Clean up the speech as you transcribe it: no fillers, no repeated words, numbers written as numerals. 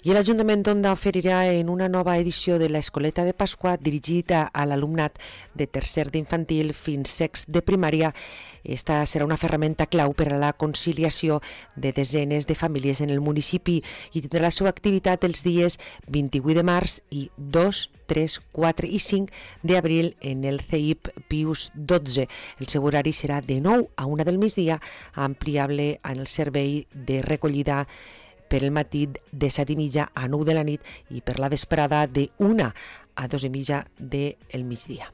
I l'Ajuntament d'Onda oferirà en una nova edició de l'Escoleta de Pasqua dirigida a l'alumnat de tercer d'infantil fins sexto de primària. Esta serà una ferramenta clau per a la conciliació de desenes de famílies en el municipi i tindrà la seva activitat els dies 28 de març i 2, 3, 4 i 5 d'abril en el CEIP Pius XII. El seu horari serà de 9 a 1 del migdia, ampliable en el servei de recollida per el matí de 7:30 a 9 de la nit i per la vesprada de 1 a 2:30 del migdia.